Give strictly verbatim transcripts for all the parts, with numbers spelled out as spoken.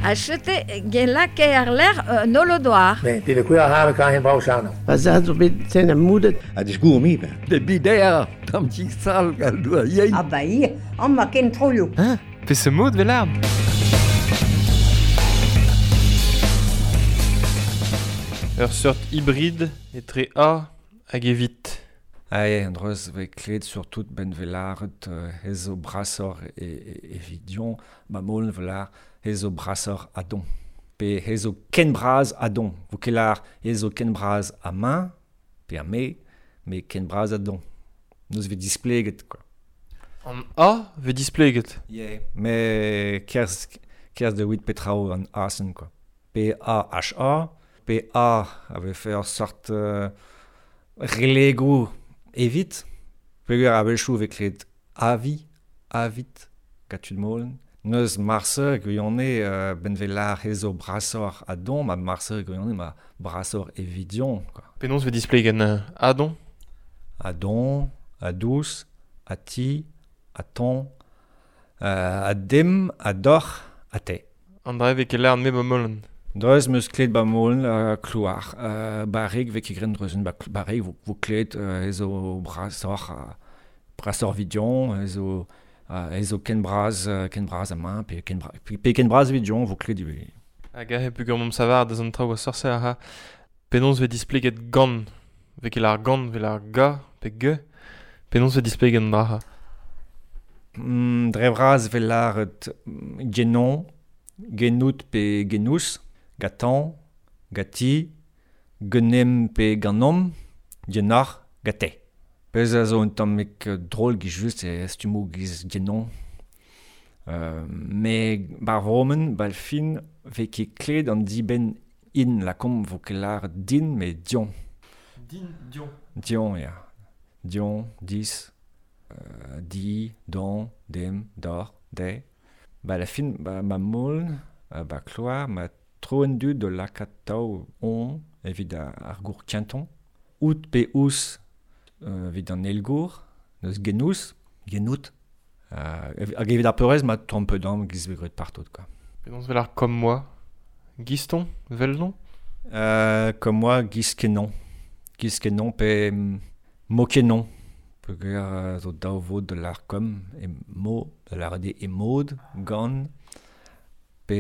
Achete gelake ar ler euh, nolodoar. Ne, det vil kunne have kan hen brauchano. Va zo bet sen a moudet. A disgour mi ben. De bidea, tam sal gal doa yein. Ah ba ia, an ma ken troio. Hein? Pe se mod velard? Ur seurt hybride etre A hag evit. Ae, an dreuz ve klet surtout ben velaret hezo brasor e, e, evidion, ba molen velar hezo brasor adon. Pe hezo ken braz adon. Vo kelar hezo ken braz a main, pe a me, me ken braz adon. Neus ve displeget, quoi. An A ve displeget. Yeah. Me kerz, kerz de wit petrao an asen, quoi. P A H A, P A avait fait ur sort euh, relego evit, peogwir a-wechoù vez klevet avi, avit, gatud molen. Neus marse gwionne euh, ben velar hezo brasor adon, ma marse gwionne ma brasor evidion, quoi. Penaos vez displeget euh, adon? Adon, adous, ati, aton, euh, adem, ador, ate. An dra vez ket lâret me ba molen. Dreuz meus klet ba molen uh, klouar. Uh, barreg vez ket gren dreuzen ba barreg vo, vo klet uh, ezo brasor, uh, brasor vidion, ezo, uh, ezo ken braz, uh, ken braz a main, pe ken, bra, pe, pe ken braz vidion vo klet ivez. Hag ahe pugur mom savar deus an traoù a sorse a ha. Penaos vez displeget gant, vez ket lar gant, vez lar ga, pe ge. Penaos vez displeget an dra ha. Mm, dre vraz vez laret genon, genout pe genous, gatan, gati, genem pe ganom, genar, gate. Pezh a zo un tammig drol giz just e stumo giz genon. Euh, me bar vromen, bal fin, vez ket klet an dibenn in, la kom vo ket lar din, me dion. Din, dion. Dion, ya. Dion, dis, euh, di, don, dem, dor, de. Ba la fin, ba ma molen, ba kloar, ma troen du de lakaat tav on evit ar gour kenton. Out pe ous euh, evit an elgour, neus genous, genout. Euh, hag evit ar peurez ma tamm pe damm giz vez graet partout, quoi. Penaos vel ar comme moi? Giston, vel non? Euh, comme moi, giz kenon. Giz kenon pe mo kenon. Peogwir euh, zo daou vod de l'ar kom, e mo, de l'ar de e mod, gant, pe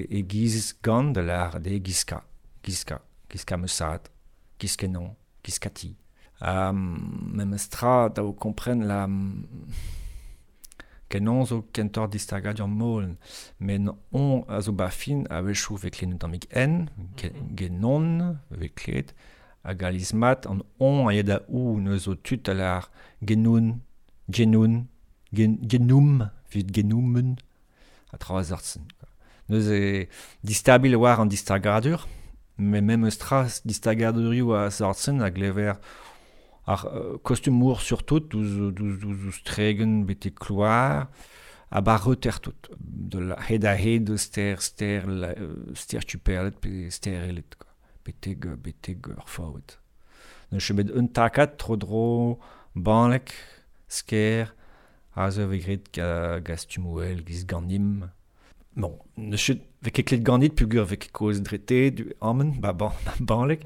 e giz gant de l'ar de gizka, gizka, gizka meusad, giz kenon, giz kati. Um, memes tra da o kompren la kenon zo kentor distagadur molen, men on a zo ba fin a-wechoù vez klet un tammig en, ge, genon vez klet, hag aliz mat an on a ya da ou neus zo tud a lar genoun, genoun, gen, genoum, vit genoumen, a tra a Neus e distabil war an distagadur, me memes tra distagadurioù a sortzen a glever ar euh, kostumour surtout, douz, douz, douz, douz tregen bete kloar, a bar reter tout. De la hed a hed ster, ster, la, ster tuperlet pe ster elet, quoi. Beteg, beteg ur faout. Neus bet un takad tro dro, banlek, sker, a zo vez graet ga, ga stumouel, giz ganim. Bon, neus ket vez ket klet ganit pugur vez ket koz drete du amen, ba ban, banlek,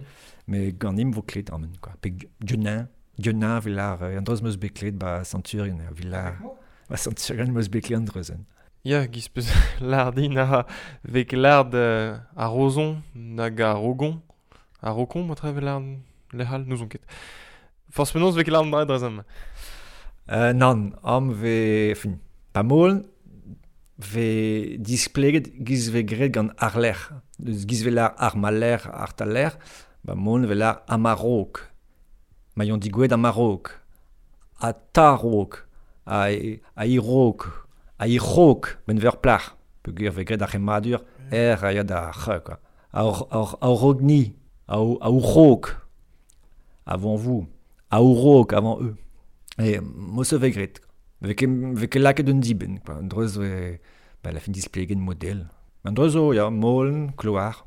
me ganim vo klet amen, quoi. Pe genin, genin velar, an dreuz meus bet klet ba Centurion, velar, ba Centurion meus bet klet an dreuzen. Ya, giz peus lardin a vez ket lard euh, a rozon nag a rogon. A rokon, ma tre vel lec'hal, n'ouzon ket. Forz penaos vez ket lard dra drezem. Euh, nan, am vez, fin, pa molen, vez displeget giz vez graet gant ar lec'h. Deus giz vez lar ar maler, ar taler, ba molen vez lar amarok. Ma yon digouet amarok. A tarok. A, a irok. A irok, ben ver plac'h. Peogwir vez graet ar c'hemmadur, er a ya da c'h, quoi. A or, or, a orogni, a, a ourok, avant vous, a ourok, avant eux. Et mo se vez graet. Vez ket, vez ket lakaet un dibenn, quoi. An dreuz vez, ba, la fin displegen model. An dreuz zo, ya, molen, kloar.